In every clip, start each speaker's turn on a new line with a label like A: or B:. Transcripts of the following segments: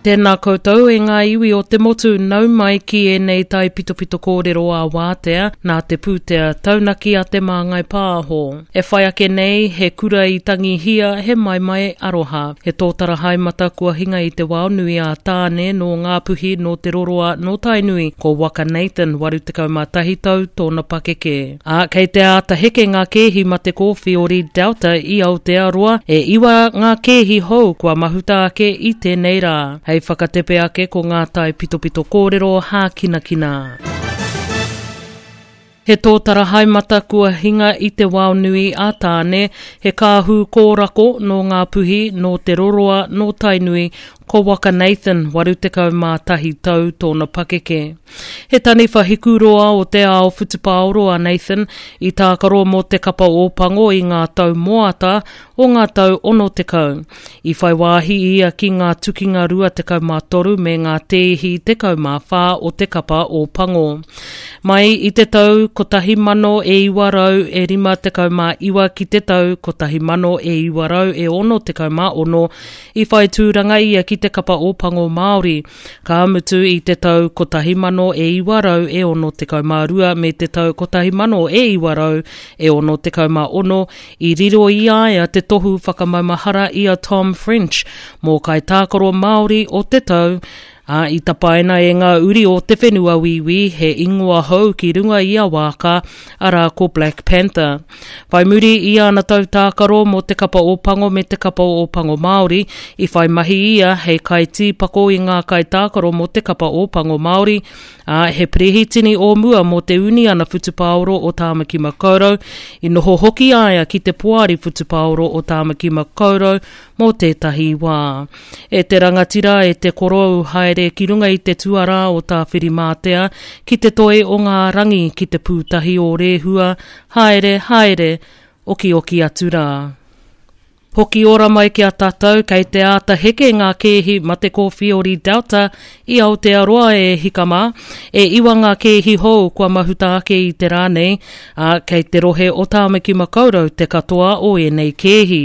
A: Tēnā koutou e ngā iwi o te motu, nau mai ki ēnei taipitopito kōrero ā-wātea nā te pūtea taunaki a Te Māngai Pāho. E whai ake nei, he kura i tangihia, he maimai aroha. He tōtara haemata kua hinga i te wao nui a Tāne nō Ngāpuhi, nō Te Roroa, nō Tainui, ko Waka Nathan, 81 tau tōna pakeke. Ā, kei te āta heke ngā kēhi mate kōwhiori Delta i Aotearoa, e iwa ngā kēhi hou kua mahuta ake i tēnei rā. Hei whakatepe ake ko ngā taipitopito kōrero hākinakina. He tōtara haemata kua hinga i te wao nui a Tāne, he kāhū kōrako nō Ngāpuhi, nō Te Roroa, nō Tainui, ko Waka Nathan, 81 tau tōna pakeke. He taniwha hikuroa o te ao whutupaoro a Nathan i tākaro mō te kapa Ōpango i ngā tau moata o ngā tau 60. I whai wāhi ia ki ngā tukinga 23 me ngā tēhi 14 o te kapa Ōpango. Mai i te tau 1959 ki te tau 1966 i whai tūranga ia ki te kapa Ōpango Māori, ka mutu i te tau 1962 me te tau 1966 i riro i a ia te tohu whakamaumahara i a Tom French mō Kaitākaro Māori o te Tau, ā, i tapaina e ngā uri o te whenua Wīwī he ingoa hou ki runga i a Waaka, arā ko Black Panther. Whai muri i ana tau tākaro mō te kapa Ōpango me te kapa Ōpango Māori, i whai mahi ia hei kaitīpako i ngā kaitākaro mō te kapa Ōpango Māori, ā, he perehitini o mua mō te Uniana Whutupaoro o Tāmaki Makaurau, i noho hoki a ia ki te Poari Whutupaoro o Tāmaki Makaurau mō tētahi wā. E te rangatira, e te korou, haere ki runga i te tuarā o Tāwhirimātea, ki te toi o ngā rangi, ki te pūtahi o Rēhua, haere, haere, okioki atu rā. Hoki ora mai ki a tātou, kei te āta heke ngā kēhi mate kōwhiori Delta i Aotearoa e hika mā. E iwa ngā kēhi hou kua mahuta ake i te rā nei, ā, kei te rohe o Tāmaki Makaurau te katoa o ēnei kēhi.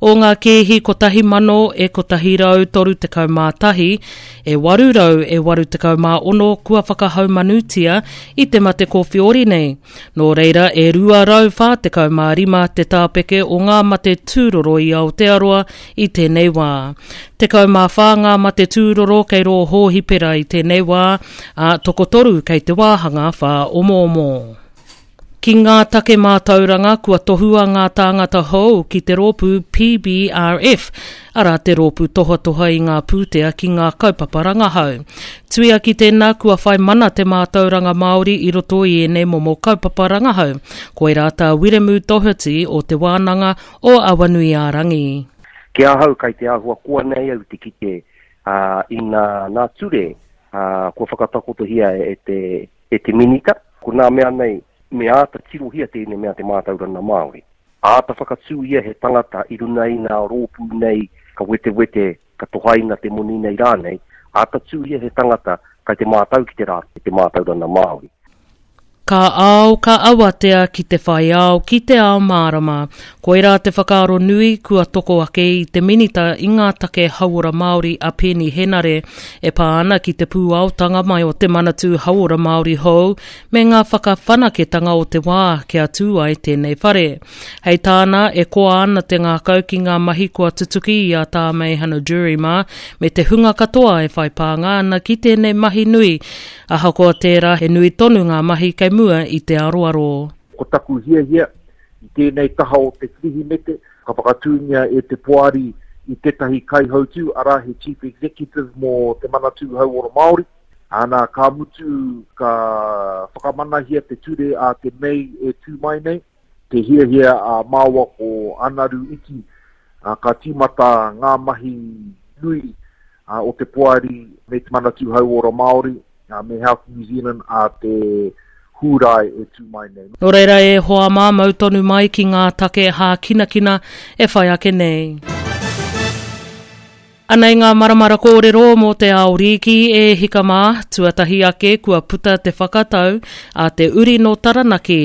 A: O ngā kēhi 1,000 e 131, e 800 e 86 kua whakahaumanutia i te mate kōwhiori nei. Nō reira, e 245 te tāpeke o ngā mate tūroro i Aotearoa i tēnei wā. 14 ngā mate tūroro kei rō hōhipera i tēnei wā, ā, tokotoru kei te wāhanga whāomoomo. Ki ngā take mātauranga, kua tohua ngā tāngata hou ki te rōpū PBRF, arā te rōpū tohatoha i ngā pūtea ki ngā kaupapa rangahau. Tuia ki tēnā, kua whai mana te mātauranga Māori i roto i ēnei momo kaupapa rangahau. Koirā tā Wiremu Doherty o Te Wānanga o Awanuiārangi.
B: Ki ahau, kai te āhua koa nei au te kite i ngā ture kua whakatakotohia e te e te Minita, ko nā mea nei, me āta tirohia tēnei mea te mātauranga Māori. Āta whakatū ia he tangata i runa i ngā rōpū nei ka wetewete, ka tohaina te moni nei rānei, āta tū ia he tangata kai te mātau ki te rā, te mātauranga Māori.
A: Ka ao, ka awatea ki te whai ao, ki te ao mārama. Koirā te whakaaro nui kua toko ake i te Minita i ngā take Hauora Māori a Peeni Henare e pā ana ki te pūaotanga mai o te Manatū Hauora Māori hou me ngā whakawhanaketanga o te wā kia tū ai tēnei whare. Hei tāna, e koa ana te ngākau ki ngā mahi kua tutuki i a Tā Meihana Jury mā me te hunga katoa e whai pānga ana ki tēnei mahi nui Ahakoa tērā, he nui tonu ngā mahi kei mua i te aroaro.
C: Ko taku hiahia, i tēnei taha o te Kirihimete, ka whakatūngia e te Poari i tētahi kaihautū, arā he Chief Executive mō Te Manatū Hauora Māori. Ana, ka mutu, ka whakamanahia te ture a te Mei e tū mai nei. Te hiahia a māua ko Anaru Iti, ka tīmata ngā mahi nui o te Poari me Te Manatū Hauora Māori me Health New Zealand a te Hūrae e tū mai nei.
A: Nō reira e hoa mā, mau tonu mai ki ngā take hākinakina e whai ake nei. Anei ngā maramara kōrero mō te ao rīki e hika mā, tuatahi ake kua puta te whakatau a te uri nō Taranaki,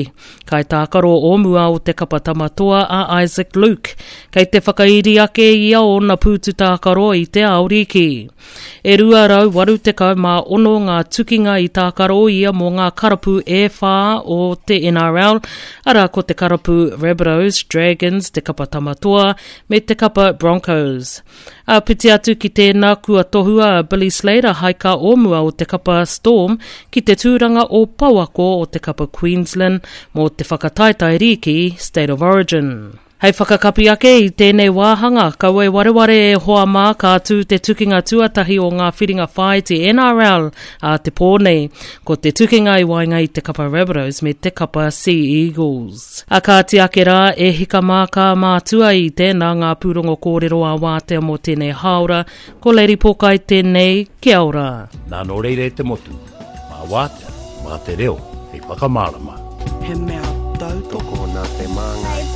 A: kaitākaro o mua o te kapa Tama Toa a Isaac Luke. Kei te whakairi ake ia ōna pūtu tākaro i te ao rīki. E 286 ngā tukinga i tākaro ia mō ngā karapu e whā o te NRL, arā ko te karapu Rabbitohs, Dragons, te kapa Tama Toa, me te kapa Broncos. Āpiti atu ki tēnā kua tohua a Billy Slater hai ka o mua o te kapa Storm ki te tūranga o pouako o te kapa Queensland mō te whakataetae rīki State of Origin. Hei whakakapi ake i tēnei wāhanga, kaua e wareware e hoa mā ka tū te tukinga tuatahi o ngā whiringa whāiti NRL ā te pō nei. Ko te tukinga i waenga i te kapa Rabbitohs me te kapa Sea Eagles. A kāti ake rā, e hika mā ka mātua i tēnā ngā pūrongo kōrero ā-wātea mō tēnei hāora, ko Lady Pōkai tēnei, kia ora.
D: Nā nō reira e te motu, mā wātea, mā te reo hei whakamārama.
E: He mea tautoko.
B: Tokona te māngai.